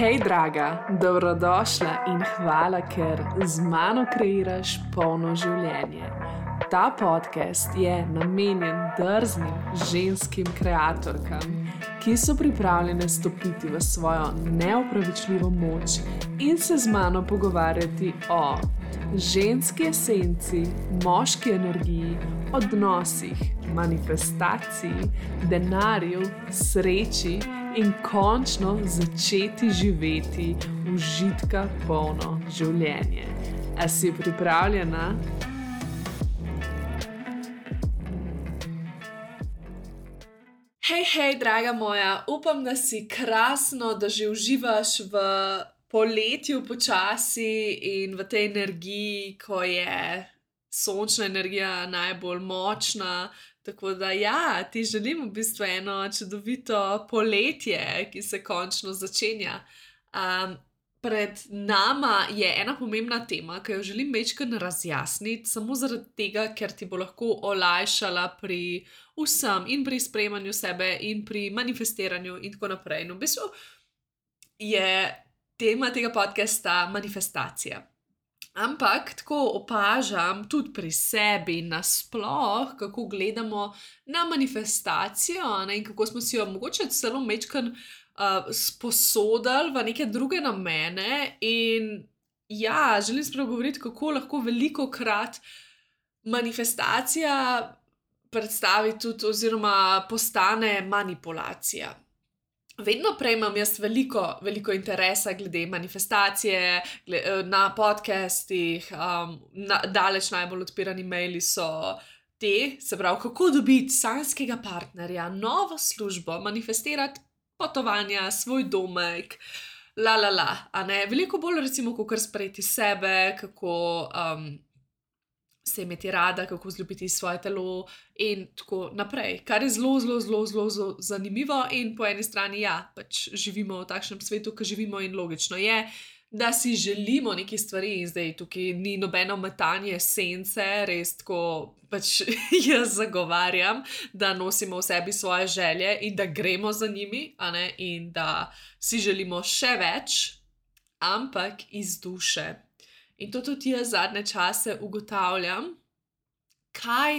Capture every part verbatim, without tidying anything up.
Hej, draga, dobrodošla in hvala, ker z mano kreiraš polno življenje. Ta podcast je namenjen drznim ženskim kreatorkam, ki so pripravljene stopiti v svojo neopravičljivo moč in se z mano pogovarjati o ženski esenci, moški energiji, odnosih, manifestaciji, denarju, sreči in končno začeti živeti užitka polno življenje. A si pripravljena? Hej, hej, draga moja, upam, da si krasno, da že uživaš v poletju počasi in v tej energiji, ko je sončna energija najbolj močna. Tako da ja, ti želim v bistvu eno čudovito poletje, ki se končno začenja. Um, pred nama je ena pomembna tema, ki jo želim majčkeno razjasniti, samo zaradi tega, ker ti bo lahko olajšala pri vsem in pri sprejemanju sebe in pri manifestiranju in tako naprej. No, v bistvu je tema tega podcasta manifestacija. Ampak tako opažam tudi pri sebi nasploh, kako gledamo na manifestacijo, ne, in kako smo si jo mogoče celo majčkeno uh, sposodili v neke druge namene. In ja, želim spregovoriti, kako lahko velikokrat manifestacija predstavi tudi oziroma postane manipulacija. Vedno prej imam jaz veliko, veliko interesa glede manifestacije, glede, na podcastih, um, na, daleč najbolj odpirani maili so te, se pravi, kako dobiti sanjskega partnerja, novo službo, manifestirati potovanja, svoj domek, la la la, a ne, veliko bolj recimo, kako sprejeti sebe, kako um, se imeti rada, kako vzljubiti svoje telo in tako naprej, kar je zelo, zelo, zelo, zelo, zelo zanimivo. In po eni strani, ja, pač živimo v takšnem svetu, ki živimo, in logično je, da si želimo neke stvari. In zdaj tukaj ni nobeno metanje sence, res tako pač jaz zagovarjam, da nosimo v sebi svoje želje in da gremo za njimi, a ne, in da si želimo še več, ampak iz duše. In to tudi jaz zadnje čase ugotavljam, kaj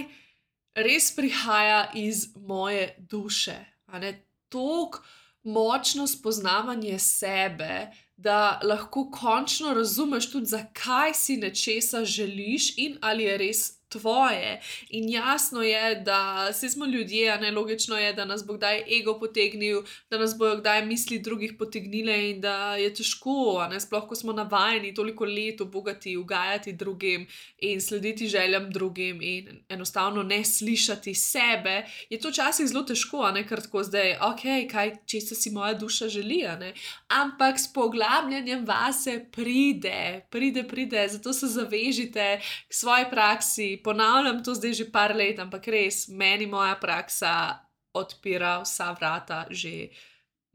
res prihaja iz moje duše. A ne, toliko močno spoznavanje sebe, da lahko končno razumeš tudi, zakaj si nečesa želiš in ali je res tvoje. In jasno je, da saj smo ljudje, a ne, logično je, da nas bo kdaj ego potegnil, da nas bojo kdaj misli drugih potegnile in da je težko, a ne, sploh ko smo navajeni toliko let ubogati, ugajati drugim in slediti željam drugim in enostavno ne slišati sebe, je to včasih zelo težko, a ne, ker tako zdaj, ok, kaj, česa si moja duša želi, a ne, ampak s poglabljanjem vase pride, pride, pride, zato se zavežite k svoji praksi. Ponavljam to zdaj že par let, ampak res, meni moja praksa odpira vsa vrata že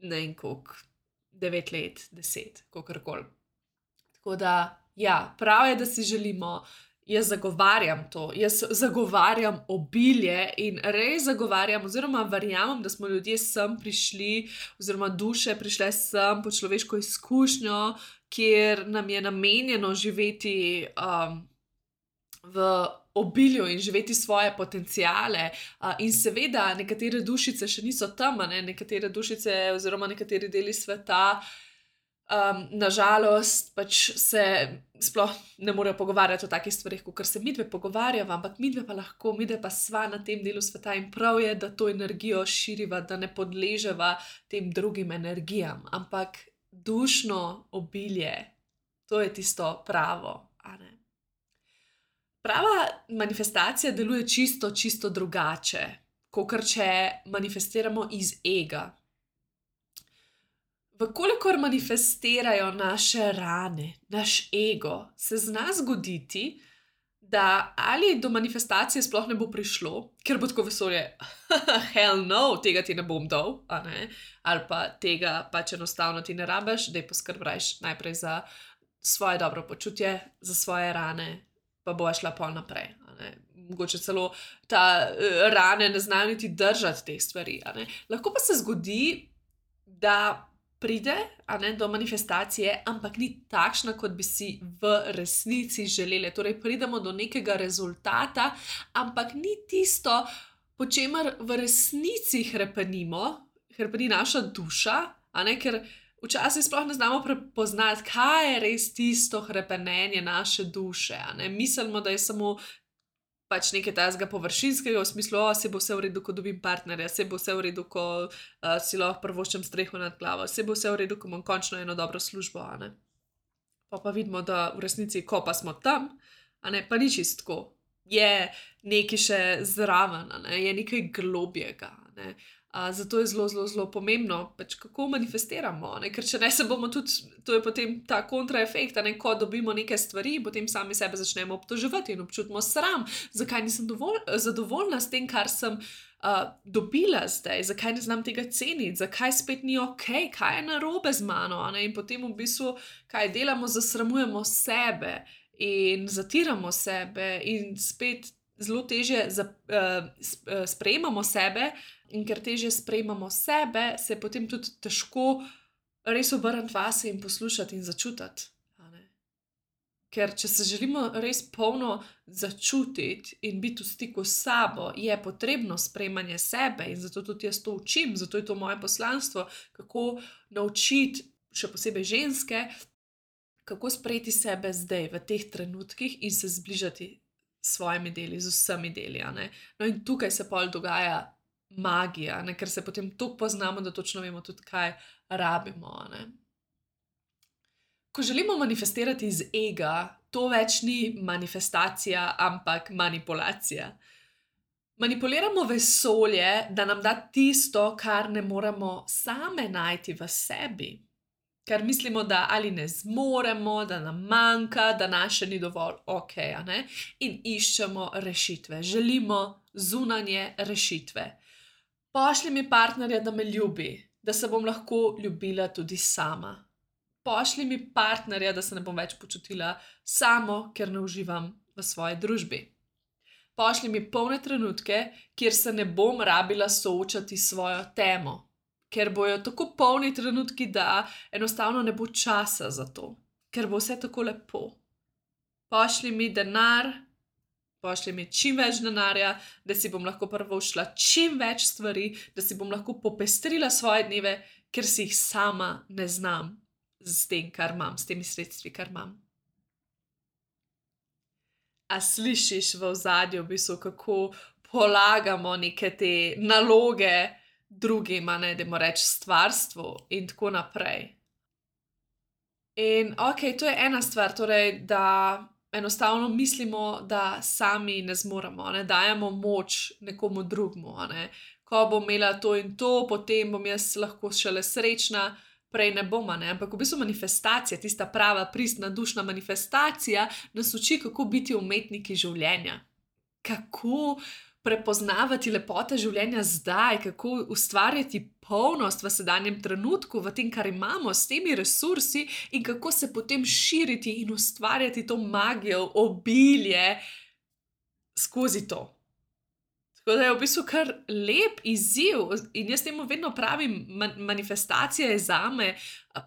ne vem koliko, devet let, deset, kakorkoli. Tako da, ja, prav je, da si želimo, jaz zagovarjam to, jaz zagovarjam obilje in res zagovarjam oziroma verjamem, da smo ljudje sem prišli oziroma duše prišle sem po človeško izkušnjo, kjer nam je namenjeno živeti um, v obilju in živeti svoje potenciale. Uh, in seveda nekatere dušice še niso tam, ne? Nekatere dušice oziroma nekateri deli sveta um, nažalost pač se sploh ne morejo pogovarjati o takih stvarih, kakor se midve pogovarjava, ampak midve pa lahko, midve pa sva na tem delu sveta in prav je, da to energijo širiva, da ne podleževa tem drugim energijam, ampak dušno obilje, to je tisto pravo, a ne. Prava manifestacija deluje čisto, čisto drugače, kakor če manifestiramo iz ega. Vkolikor manifestirajo naše rane, naš ego, se zna zgoditi, da ali do manifestacije sploh ne bo prišlo, ker bo tako vesolje, hell no, tega ti ne bom dal, a ne, ali pa tega pač enostavno ti ne rabiš, daj poskrbrajš najprej za svoje dobro počutje, za svoje rane, pa bo šla pol naprej. Mogoče celo ta uh, rane ne znajo niti držati teh stvari. Lahko pa se zgodi, da pride, a ne, do manifestacije, ampak ni takšna, kot bi si v resnici želeli. Torej, pridemo do nekega rezultata, ampak ni tisto, po čemer v resnici hrepenimo, hrepeni naša duša, a ne, ker včasih sploh ne znamo prepoznati, kaj je res tisto hrepenenje naše duše, a ne. Mislimo, da je samo pač nekaj takega površinskega, v smislu, o, saj bo vse v redu, ko dobim partnerja, saj bo vse v redu, ko uh, si lahko privoščim streho nad glavo, saj bo vse v redu, ko imam končno eno dobro službo, a ne. Pa pa vidimo, da v resnici, ko pa smo tam, a ne, pa ni čisto tako. Je nekaj še zraven, a ne, je nekaj globjega, a ne. Uh, zato je zelo, zelo, zelo pomembno, pač kako manifestiramo, ne? Ker če ne se bomo tudi, to je potem ta kontraefekt, ne? Ko dobimo neke stvari, potem sami sebe začnemo obtoževati in občutimo sram, zakaj nisem dovolj, zadovoljna s tem, kar sem uh, dobila zdaj, zakaj ne znam tega ceniti, zakaj spet ni okej, kaj je narobe z mano, ne? In potem v bistvu, kaj delamo, zasramujemo sebe in zatiramo sebe in spet zelo težje za, uh, sprejemamo sebe. In ker težje sprejemamo sebe, se je potem tudi težko res obrniti vase in poslušati in začutiti. A ne? Ker če se želimo res polno začutiti in biti v stiku s sabo, je potrebno sprejemanje sebe in zato tudi jaz to učim, zato je to moje poslanstvo, kako naučiti, še posebej ženske, kako sprejeti sebe zdaj, v teh trenutkih in se zbližati s svojimi deli, z vsemi deli. A ne? No in tukaj se pol dogaja magija, ne? Ker se potem toliko poznamo, da točno vemo tudi, kaj rabimo. Ne? Ko želimo manifestirati iz ega, to več ni manifestacija, ampak manipulacija. Manipuliramo vesolje, da nam da tisto, kar ne moremo same najti v sebi. Ker mislimo, da ali ne zmoremo, da nam manjka, da naše ni dovolj okej, a ne? In iščemo rešitve, želimo zunanje rešitve. Pošlji mi partnerja, da me ljubi, da se bom lahko ljubila tudi sama. Pošlji mi partnerja, da se ne bom več počutila samo, ker ne uživam v svoji družbi. Pošlji mi polne trenutke, kjer se ne bom rabila soočati s svojo temo, ker bojo tako polni trenutki, da enostavno ne bo časa za to, ker bo vse tako lepo. Pošlji mi denar, pošlji mi čim več denarja, da si bom lahko privoščila čim več stvari, da si bom lahko popestrila svoje dneve, ker si jih sama ne znam s tem, kar imam, s temi sredstvi, kar imam. A slišiš v ozadju, v bistvu, kako polagamo neke te naloge drugim, a ne, dajmo reči stvarstvu in tako naprej. In okej, to je ena stvar, torej, da enostavno mislimo, da sami ne zmoremo, ne dajemo moč nekomu drugmu, a ne. Ko bom imela to in to, potem bom jaz lahko šele srečna, prej ne bom, a ne. Ampak v bistvu manifestacija, tista prava, pristna, dušna manifestacija, nas uči, kako biti umetniki življenja. Kako prepoznavati lepote življenja zdaj, kako ustvarjati polnost v sedanjem trenutku, v tem, kar imamo, s temi resursi in kako se potem širiti in ustvarjati to magijo, obilje skozi to. Tako da je v bistvu kar lep izziv in jaz temu vedno pravim, manifestacija je zame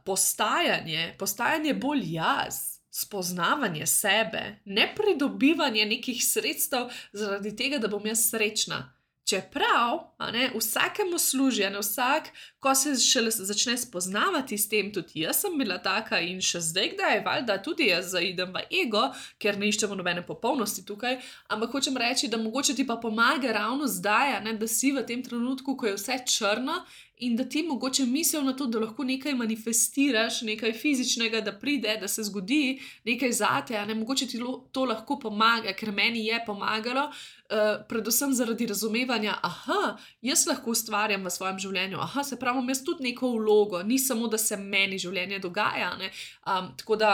postajanje, postajanje bolj jaz. Spoznavanje sebe, ne pridobivanje nekih sredstev zaradi tega, da bom jaz srečna. Čeprav, a ne, vsakemu služi, a ne, vsak, ko se šele začne spoznavati s tem, tudi jaz sem bila taka in še zdaj kdaj, valjda tudi jaz zaidem v ego, ker ne iščemo nobene popolnosti tukaj, ampak hočem reči, da mogoče ti pa pomaga ravno zdaj, a ne, da si v tem trenutku, ko je vse črno in da ti mogoče misel na to, da lahko nekaj manifestiraš, nekaj fizičnega, da pride, da se zgodi nekaj zate, a ne, mogoče ti to lahko pomaga, ker meni je pomagalo, uh, predvsem zaradi razumevanja, aha, jaz lahko ustvarjam v svojem življenju, aha, se pravi, imam jaz tudi neko vlogo, ni samo, da se meni življenje dogaja, ne, um, tako da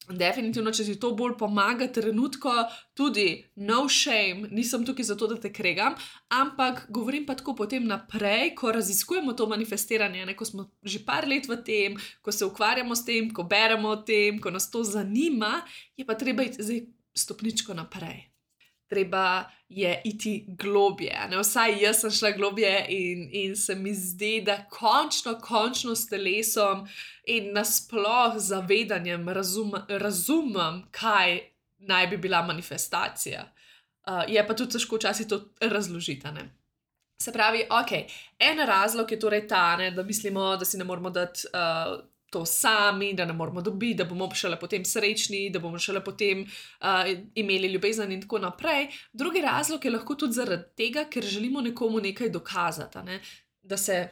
definitivno, če ti to bolj pomaga trenutko, tudi no shame, nisem tukaj zato, da te kregam, ampak govorim pa tako potem naprej, ko raziskujemo to manifestiranje, ne, ko smo že par let v tem, ko se ukvarjamo s tem, ko beremo o tem, ko nas to zanima, je pa treba iti zdaj stopničko naprej. treba je iti globje. Ne? Vsaj jaz sem šla globje in, in se mi zdi, da končno, končno s telesom in nasploh zavedanjem razum, razumem, kaj naj bi bila manifestacija. Uh, je pa tudi težko včasih to razložiti. Ne? Se pravi, ok, en razlog je torej ta, ne, da mislimo, da si ne moramo dati uh, to sami, da ne moramo dobiti, da bomo šele potem srečni, da bomo šele potem uh, imeli ljubezen in tako naprej. Drugi razlog je lahko tudi zaradi tega, ker želimo nekomu nekaj dokazati, ne? Da se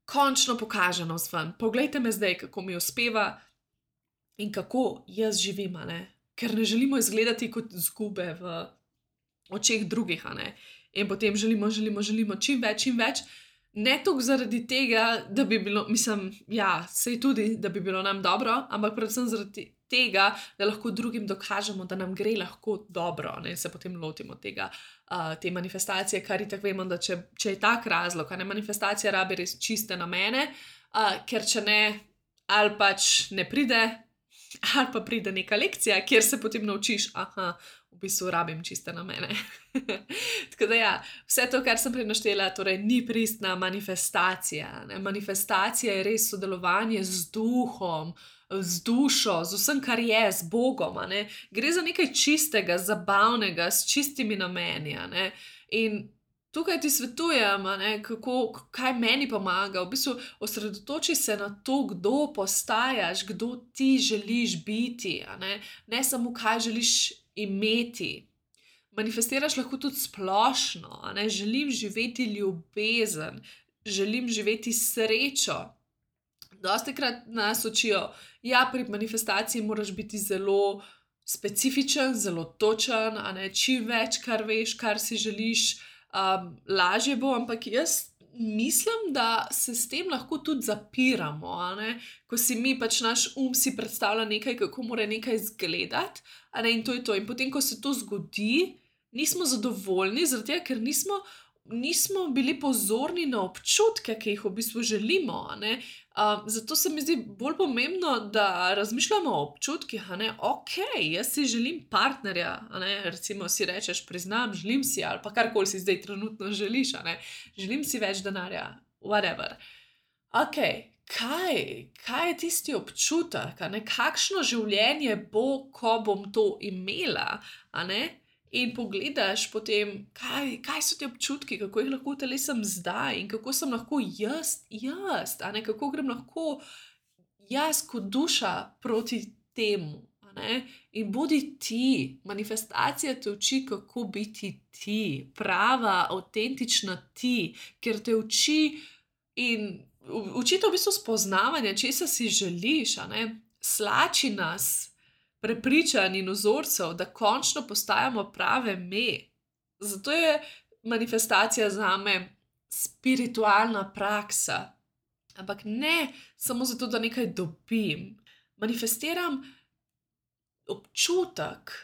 končno pokaže navzven. Poglejte me zdaj, kako mi uspeva in kako jaz živim, ne? Ker ne želimo izgledati kot izgube v očeh drugih, ne? In potem želimo, želimo, želimo čim več, čim več. Ne toliko zaradi tega, da bi bilo, mislim, ja, sej tudi, da bi bilo nam dobro, ampak predvsem zaradi tega, da lahko drugim dokažemo, da nam gre lahko dobro, ne, se potem lotimo tega, uh, te manifestacije, kar itak vemo, da če, če je tak razlog, a ne, manifestacija rabi res čiste namene, uh, ker če ne, ali pač ne pride, ali pa pride neka lekcija, kjer se potem naučiš, aha, v bistvu rabim čiste namene. Tako da ja, vse to, kar sem prej naštela, torej ni pristna manifestacija. Ne? Manifestacija je res sodelovanje z duhom, z dušo, z vsem, kar je, z Bogom. A ne? Gre za nekaj čistega, zabavnega, s čistimi nameni. A ne? In tukaj ti svetujem, a ne, kako, kaj meni pomaga. V bistvu osredotoči se na to, kdo postajaš, kdo ti želiš biti. A ne? Ne samo, kaj želiš imeti. Manifestiraš lahko tudi splošno, a ne? Želim živeti ljubezen, želim živeti srečo. Dostikrat nas učijo, ja, pri manifestaciji moraš biti zelo specifičen, zelo točen, a ne? Čim več, kar veš, kar si želiš, um, lažje bo, ampak jaz mislim, da se s tem lahko tudi zapiramo, a ne? Ko si mi, pač naš um si predstavlja nekaj, kako mora nekaj izgledati, a ne? In to je to. In potem, ko se to zgodi, nismo zadovoljni, zaradi tega, ker nismo, nismo bili pozorni na občutke, ki jih v bistvu želimo, a ne? Um, zato se mi zdi bolj pomembno, da razmišljamo o občutkih, a ne? Ok, jaz si želim partnerja, a ne? Recimo si rečeš, priznam, želim si, ali pa karkoli si zdaj trenutno želiš, a ne? Želim si več denarja, whatever. Ok, kaj, kaj je tisti občutek, a ne? Kakšno življenje bo, ko bom to imela, a ne? In pogledaš potem, kaj, kaj so ti občutki, kako jih lahko telesam zdaj in kako sem lahko jaz, jaz, a ne, kako grem lahko jaz kot duša proti temu, a ne, in bodi ti, manifestacija te uči, kako biti ti, prava, avtentična ti, ker te uči in uči te v bistvu spoznavanje, česa si želiš, a ne, slači nas prepričanj in vzorcev, da končno postajamo prave me. Zato je manifestacija zame spiritualna praksa. Ampak ne samo zato, da nekaj dobim. Manifestiram občutek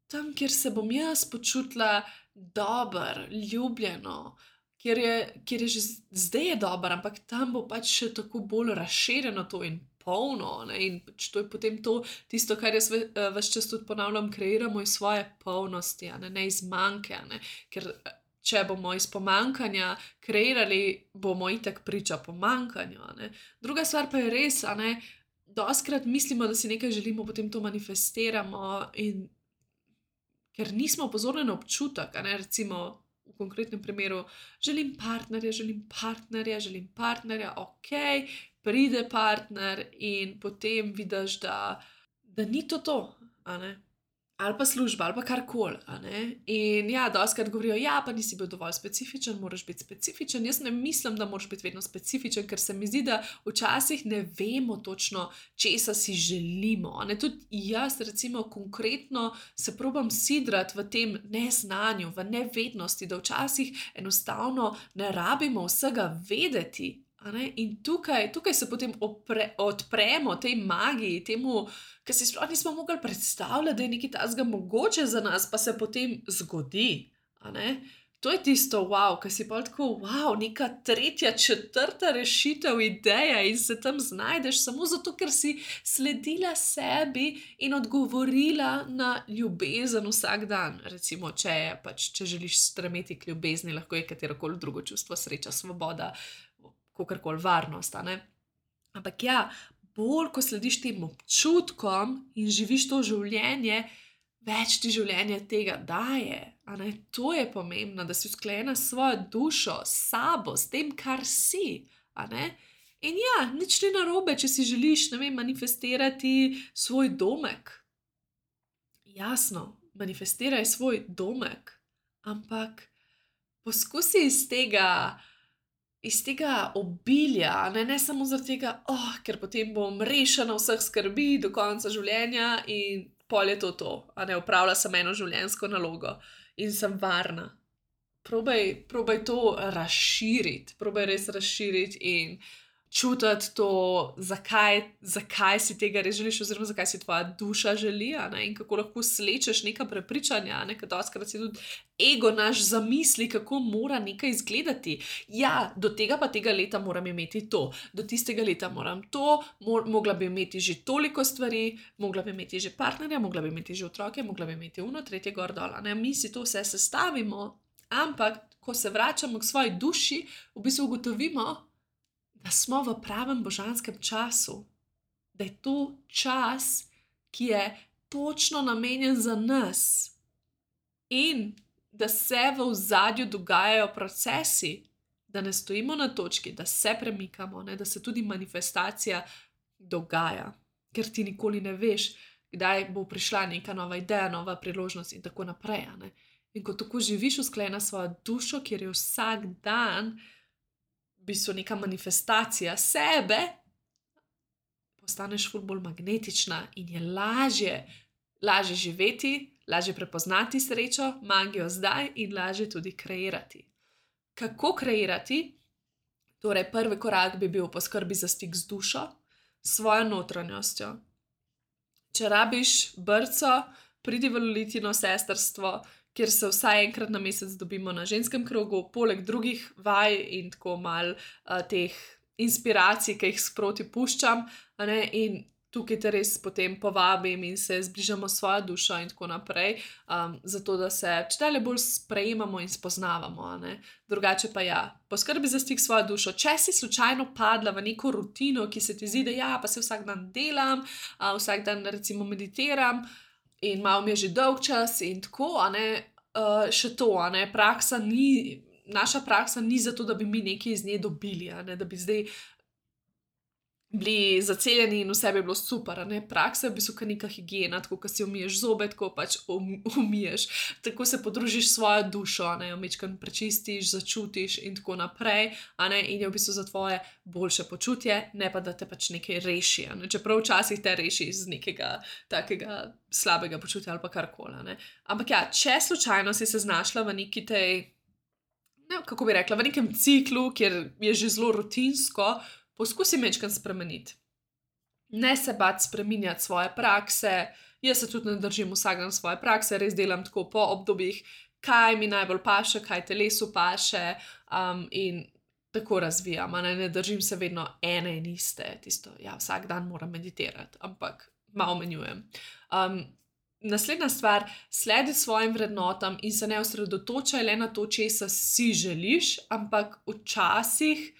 tam, kjer se bom jaz počutila dober, ljubljeno, kjer je, kjer je že zdaj je dober, ampak tam bo pač še tako bolj razširjeno to in polno, ne? In to je potem to, tisto, kar jaz ves čas tudi ponavljam, kreiramo iz svoje polnosti, a ne, ne iz manjke, a ne? Ker če bomo iz pomanjkanja kreirali, bomo itak priča pomanjkanju, a ne? Druga stvar pa je res, a ne, dostikrat mislimo, da si nekaj želimo, potem to manifestiramo in ker nismo pozorni na občutek, a ne, recimo v konkretnem primeru, želim partnerja, želim partnerja, želim partnerja, ok, pride partner in potem vidiš, da, da ni to to, a ne? Ali pa služba, ali pa karkoli, a ne? In ja, dostikrat govorijo, ja, pa nisi bil dovolj specifičen, moraš biti specifičen. Jaz ne mislim, da moraš biti vedno specifičen, ker se mi zdi, da včasih ne vemo točno, česa si želimo, a ne? Tudi jaz, recimo, konkretno se probam sidrati v tem neznanju, v nevednosti, da včasih enostavno ne rabimo vsega vedeti, a ne? In tukaj, tukaj se potem opre, odpremo tej magiji, temu, ker si sploh nismo mogli predstavljati, da je nekaj takega mogoče za nas, pa se potem zgodi, a ne? To je tisto, wow, ki si pa tako, wow, neka tretja, četrta rešitev, ideja in se tam znajdeš samo zato, ker si sledila sebi in odgovorila na ljubezen vsak dan. Recimo, če, je, pač, če želiš stremeti k ljubezni, lahko je katerokoli drugo čustvo, sreča, svoboda, kakorkoli varnost. Ampak ja, bolj ko slediš tem občutkom in živiš to življenje, več ti življenje tega daje. To je pomembno, da si usklajena s svojo dušo, s sabo, s tem, kar si. In ja, nič ni narobe, če si želiš, ne vem, manifestirati svoj domek. Jasno, manifestiraj svoj domek, ampak poskusi iz tega, iz tega obilja, ne, ne samo zaradi tega, oh, ker potem bom rešena vseh skrbi do konca življenja in pol je to to, a ne, opravila sem eno življenjsko nalogo in sem varna. Probaj, probaj to razširiti, probaj res razširiti in čutiti to, zakaj, zakaj si tega res želiš, oziroma zakaj si tvoja duša želi, a ne, in kako lahko slečeš neka prepričanja, a ne, ker dostikrat si tudi ego naš zamisli, kako mora nekaj izgledati. Ja, do tega pa tega leta moram imeti to, do tistega leta moram to, mor, mogla bi imeti že toliko stvari, mogla bi imeti že partnerja, mogla bi imeti že otroke, mogla bi imeti uno, tretje gor dol, a ne, mi si to vse sestavimo, ampak ko se vračamo k svoji duši, v bistvu ugotovimo, da smo v pravem božanskem času, da je to čas, ki je točno namenjen za nas in da se v ozadju dogajajo procesi, da ne stojimo na točki, da se premikamo, ne, da se tudi manifestacija dogaja, ker ti nikoli ne veš, kdaj bo prišla neka nova ideja, nova priložnost in tako naprej. Ne. In ko tako živiš usklajena svojo dušo, kjer je vsak dan v bistvu neka manifestacija sebe, postaneš ful bolj magnetična in je lažje, lažje živeti, lažje prepoznati srečo, magijo zdaj in lažje tudi kreirati. Kako kreirati? Torej, prvi korak bi bil poskrbi za stik z dušo, s svojo notranjostjo. Če rabiš brco, pridi v Lolitino sestrstvo, kjer se vsaj enkrat na mesec dobimo na ženskem krogu, poleg drugih vaj in tako mal uh, teh inspiracij, ki jih sproti puščam, a ne, in tukaj te res potem povabim in se zbližamo s svojo dušo in tako naprej, um, zato da se čedalje bolj sprejemamo in spoznavamo, a ne. Drugače pa ja, poskrbi za stik s svojo dušo. Če si slučajno padla v neko rutino, ki se ti zdi, da ja, pa se vsak dan delam, uh, vsak dan recimo meditiram, in malo mi je že dolg čas in tako, a ne, uh, še to, a ne, praksa ni, naša praksa ni zato, da bi mi nekaj iz nje dobili, a ne, da bi zdaj bili zaceljeni in vse bi bilo super, a ne, praksa je v bistvu neka higiena, tako, ko si umiješ zobe, tako pač um, umiješ, tako se podružiš s svojo dušo, a ne, jo majčkeno prečistiš, začutiš in tako naprej, a ne, in je v bistvu za tvoje boljše počutje, ne pa da te pač nekaj reši, a ne, čeprav včasih te reši iz nekega takega slabega počutja ali pa karkoli, a ne. Ampak ja, če slučajno si se znašla v neki tej, ne, kako bi rekla, v nekem ciklu, kjer je že zelo rutinsko, poskusi majčkeno spremeniti. Ne se bati spreminjati svoje prakse, jaz se tudi ne držim vsak dan svoje prakse, res delam tako po obdobjih, kaj mi najbolj paše, kaj telesu paše, um, in tako razvijam, a ne, ne držim se vedno ene in iste, tisto, ja, vsak dan moram meditirati, ampak malo menjujem. Um, naslednja stvar, sledi svojim vrednotam in se ne osredotočaj le na to, česa si želiš, ampak včasih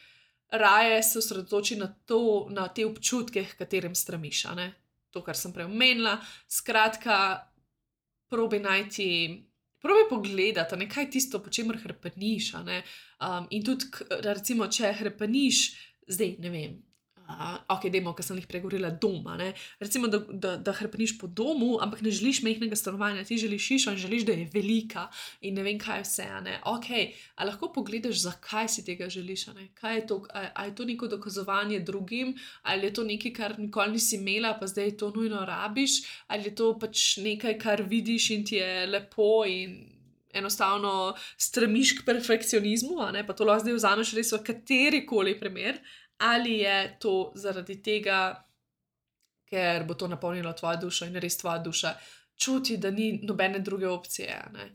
raje se osredotoči na to, na te občutke, h katerim stremiš, a ne. To, kar sem prej omenila, skratka, probi najti, probi pogledati, a ne, kaj je tisto, po čemer hrepeniš, a ne. Um, in tudi, recimo, če hrepeniš, zdaj, ne vem, uh, ok, dajmo, ker sem jih pregovorila, doma, ne. Recimo, da, da, da hrepeniš po domu, ampak ne želiš majhnega stanovanja, ti želiš hišo in želiš, da je velika in ne vem kaj vse, a ne. Ok, a lahko pogledaš, zakaj si tega želiš, a ne. Kaj je to, a, a je to neko dokazovanje drugim, ali je to nekaj, kar nikoli nisi imela, pa zdaj to nujno rabiš, ali je to pač nekaj, kar vidiš in ti je lepo in enostavno stremiš k perfekcionizmu, a ne, pa to lahko zdaj vzameš res v katerikoli primer, ali je to zaradi tega, ker bo to napolnilo tvojo dušo in res tvoja duša čuti, da ni nobene druge opcije, a ne.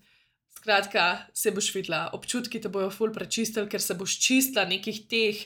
Skratka, se boš videla, občutki te bojo ful prečistili, ker se boš čistila nekih teh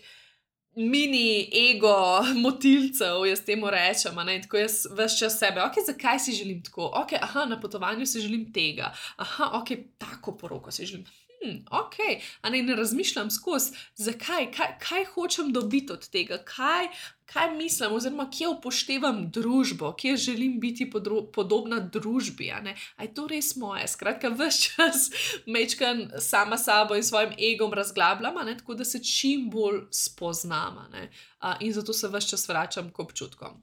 mini ego motilcev, jaz temu rečem, a ne, in tako jaz ves čas sebe, ok, zakaj si želim tako, ok, aha, na potovanju si želim tega, aha, ok, tako poroko si želim, hm, ok, a ne, ne razmišljam skozi, zakaj, kaj, kaj hočem dobiti od tega, kaj, kaj mislim, oziroma kje upoštevam družbo, kje želim biti podro, podobna družbi, a ne, a je to res moje, skratka, ves čas mečkan sama sabo in svojim egom razglabljam, a ne, tako da se čim bolj spoznam, a ne, a, in zato se ves čas vračam k občutkom.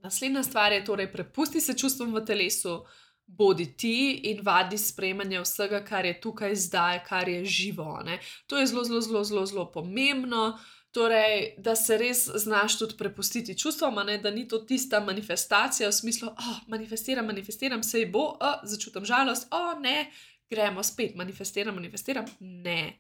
Naslednja stvar je torej, prepusti se čustvom v telesu, bodi ti in vadi sprejemanje vsega, kar je tukaj zdaj, kar je živo, a ne. To je zelo, zelo, zelo, zelo, zelo pomembno, torej, da se res znaš tudi prepustiti čustvom, a ne, da ni to tista manifestacija v smislu, oh, manifestiram, manifestiram, sej bo, oh, začutim žalost, oh, ne, gremo spet, manifestiram, manifestiram, ne.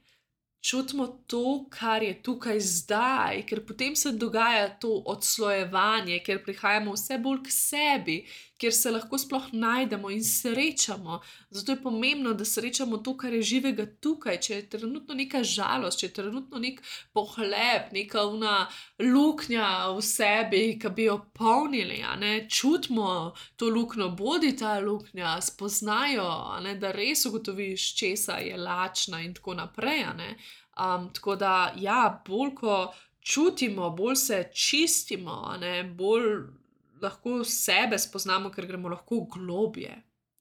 Čutimo to, kar je tukaj zdaj, ker potem se dogaja to odslojevanje, ker prihajamo vse bolj k sebi, kjer se lahko sploh najdemo in srečamo. Zato je pomembno, da srečamo to, kar je živega tukaj. Če je trenutno neka žalost, če je trenutno nek pohlep, neka una luknja v sebi, ki bi jo polnili, a ne, čutimo to luknjo, bodi ta luknja, spoznajo, a ne, da res ugotoviš, česa je lačna in tako naprej, a ne. Um, tako da, ja, bolj ko čutimo, bolj se čistimo, a ne, bolj lahko sebe spoznamo, ker gremo lahko globje.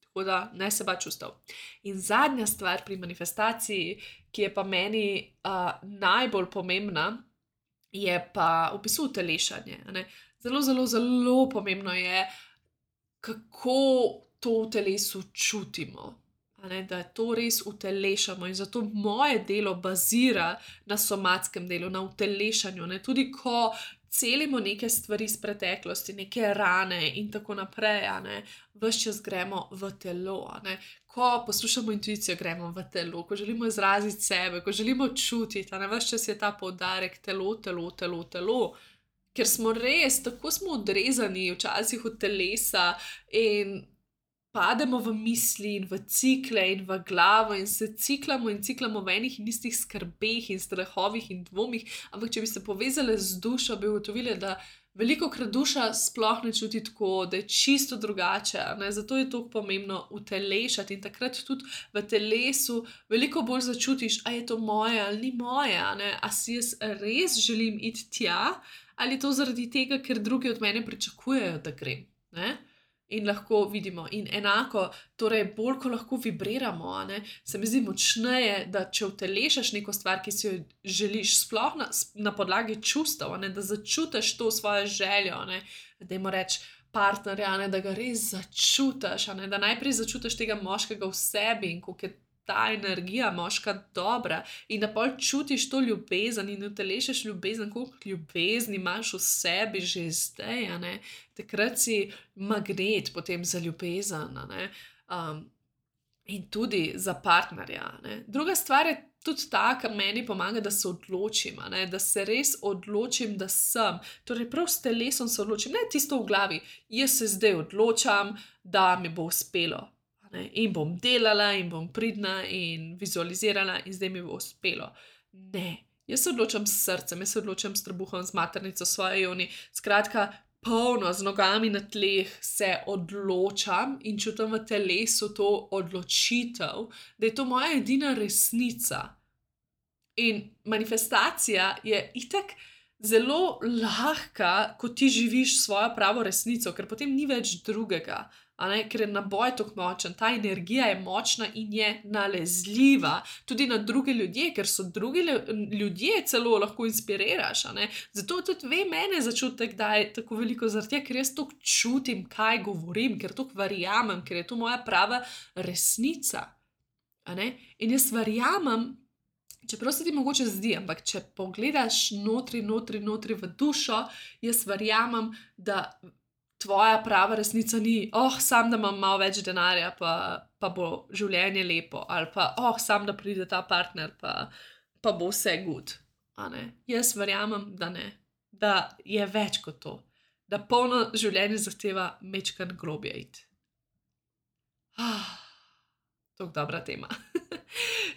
Tako da, ne se bati čustev. In zadnja stvar pri manifestaciji, ki je pa meni uh, najbolj pomembna, je pa v bistvu utelešanje, a ne. Zelo, zelo, zelo pomembno je, kako to v telesu čutimo. A ne, da to res utelešamo in zato moje delo bazira na somatskem delu, na utelešanju, ne, tudi ko celimo neke stvari iz preteklosti, neke rane in tako naprej, a ne, ves čas gremo v telo, a ne, ko poslušamo intuicijo, gremo v telo, ko želimo izraziti sebe, ko želimo čutiti, a ne, ves čas je ta poudarek telo, telo, telo, telo, ker smo res, tako smo odrezani včasih od telesa in pademo v misli in v cikle in v glavo in se ciklamo in ciklamo v enih in istih skrbeh in strahovih in dvomih, ampak če bi se povezali z dušo, bi ugotovili, da velikokrat duša sploh ne čuti tako, da je čisto drugače, ne, zato je toliko pomembno utelešati in takrat tudi v telesu veliko bolj začutiš, a je to moje ali ni moje, a ne, a si jaz res želim iti tja, ali je to zaradi tega, ker drugi od mene pričakujejo, da grem, ne. In lahko vidimo, in enako, torej bolj, ko lahko vibriramo, a ne, se mi zdi močneje, da če utelešaš neko stvar, ki si jo želiš, sploh na, na podlagi čustev, a ne, da začutiš to svojo željo, a ne, dajmo reči partnerja, a ne, da ga res začutiš, a ne, da najprej začutiš tega moškega v sebi in koliko je ta energija moška dobra in da pol čutiš to ljubezen in utelešaš ljubezen, koliko ljubezni imaš v sebi že zdaj, a ne, takrat si magnet potem za ljubezen, a ne, um, in tudi za partnerja, a ne. Druga stvar je tudi ta, kar meni pomaga, da se odločim, a ne, da se res odločim, da sem, torej prav s telesom se odločim, ne tisto v glavi, jaz se zdaj odločam, da mi bo uspelo. Ne, in bom delala in bom pridna in vizualizirala in zdaj mi bo uspelo. Ne, jaz se odločam s srcem, jaz se odločam s trebuhom, z maternico, svoje joni, skratka, polno, z nogami na tleh se odločam in čutim v telesu to odločitev, da je to moja edina resnica. In manifestacija je itak zelo lahka, ko ti živiš svojo pravo resnico, ker potem ni več drugega. A ne, ker je naboj tako močen, ta energija je močna in je nalezljiva tudi na druge ljudje, ker so drugi ljudje celo lahko inspiriraš, a ne. Zato tudi ve mene začutek, da je tako veliko zaradi tega, ker jaz toliko čutim, kaj govorim, ker toliko verjamem, ker je to moja prava resnica, a ne. In jaz verjamem, čeprav se ti mogoče zdi, ampak če pogledaš notri, notri, notri v dušo, jaz verjamem, da tvoja prava resnica ni, oh, sam da imam malo več denarja, pa, pa bo življenje lepo, ali pa, oh, sam da pride ta partner, pa, pa bo vse good, a ne. Jaz verjamem, da ne, da je več kot to, da polno življenje zahteva mečkan globje iti. Ah, Tako dobra tema.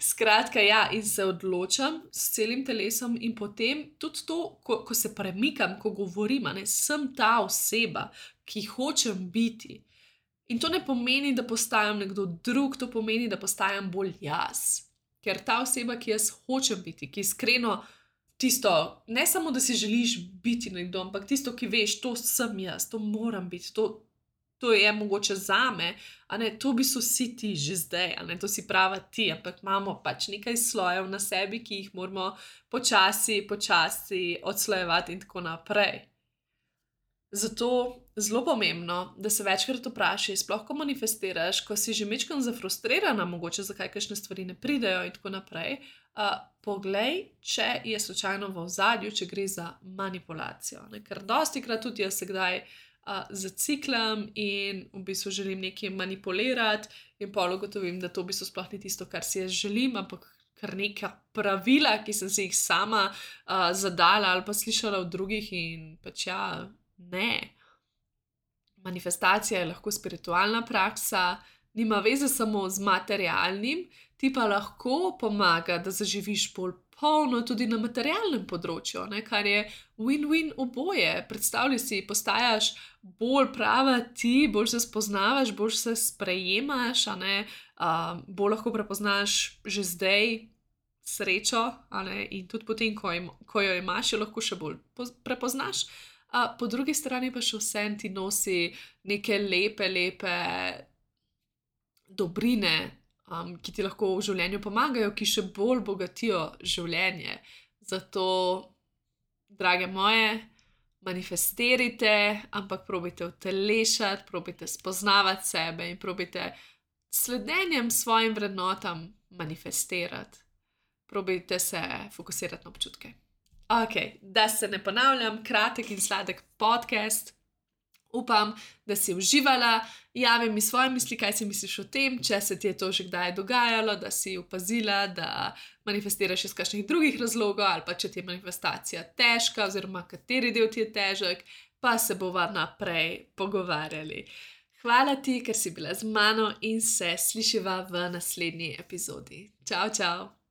Skratka, ja, in se odločam s celim telesom in potem tudi to, ko, ko se premikam, ko govorim, a ne, sem ta oseba, ki hočem biti. In to ne pomeni, da postajam nekdo drug, to pomeni, da postajam bolj jaz. Ker ta oseba, ki jaz hočem biti, ki iskreno tisto, ne samo, da si želiš biti nekdo, ampak tisto, ki veš, to sem jaz, to moram biti, to, to je mogoče zame, a ne, to bi so vsi ti že zdaj, a ne, to si prava ti, ampak imamo pač nekaj slojev na sebi, ki jih moramo počasi, počasi odslojevati in tako naprej. Zato zelo pomembno, da se večkrat vprašaj, sploh ko manifestiraš, ko si že majčkeno zafrustrirana, mogoče zakaj kakšne stvari ne pridejo in tako naprej, uh, poglej, če je slučajno v ozadju, če gre za manipulacijo. Ne? Ker dostikrat tudi jaz se kdaj uh, zaciklam in v bistvu želim nekaj manipulirati in pol ugotovim, da to v bistvu sploh ni tisto, kar si jaz želim, ampak kar neka pravila, ki sem si jih sama uh, zadala ali pa slišala od drugih in pač ja, ne. Manifestacija je lahko spiritualna praksa, nima veze samo z materialnim, ti pa lahko pomaga, da zaživiš bolj polno tudi na materialnem področju, ne, kar je win-win oboje. Predstavljaj si, postajaš bolj prava ti, bolj se spoznavaš, bolj se sprejemaš, a ne, uh, bolj lahko prepoznaš že zdaj srečo, a ne, in tudi potem, ko, im, ko jo imaš, jo lahko še bolj prepoznaš. A po drugi strani pa še vsem ti nosi neke lepe, lepe dobrine, um, ki ti lahko v življenju pomagajo, ki še bolj bogatijo življenje. Zato, drage moje, manifestirajte, ampak probajte utelešati, probajte spoznavati sebe in probajte sledenjem svojim vrednotam manifestirati. Probajte se fokusirati na občutke. Ok, da se ne ponavljam, kratek in sladek podcast. Upam, da si uživala. Javi mi svoje misli, kaj si misliš o tem, če se ti je to že kdaj dogajalo, da si opazila, da manifestiraš iz kakšnih drugih razlogov ali pa če ti je manifestacija težka oziroma kateri del ti je težek, pa se bova naprej pogovarjali. Hvala ti, ker si bila z mano in se slišiva v naslednji epizodi. Čau, čau!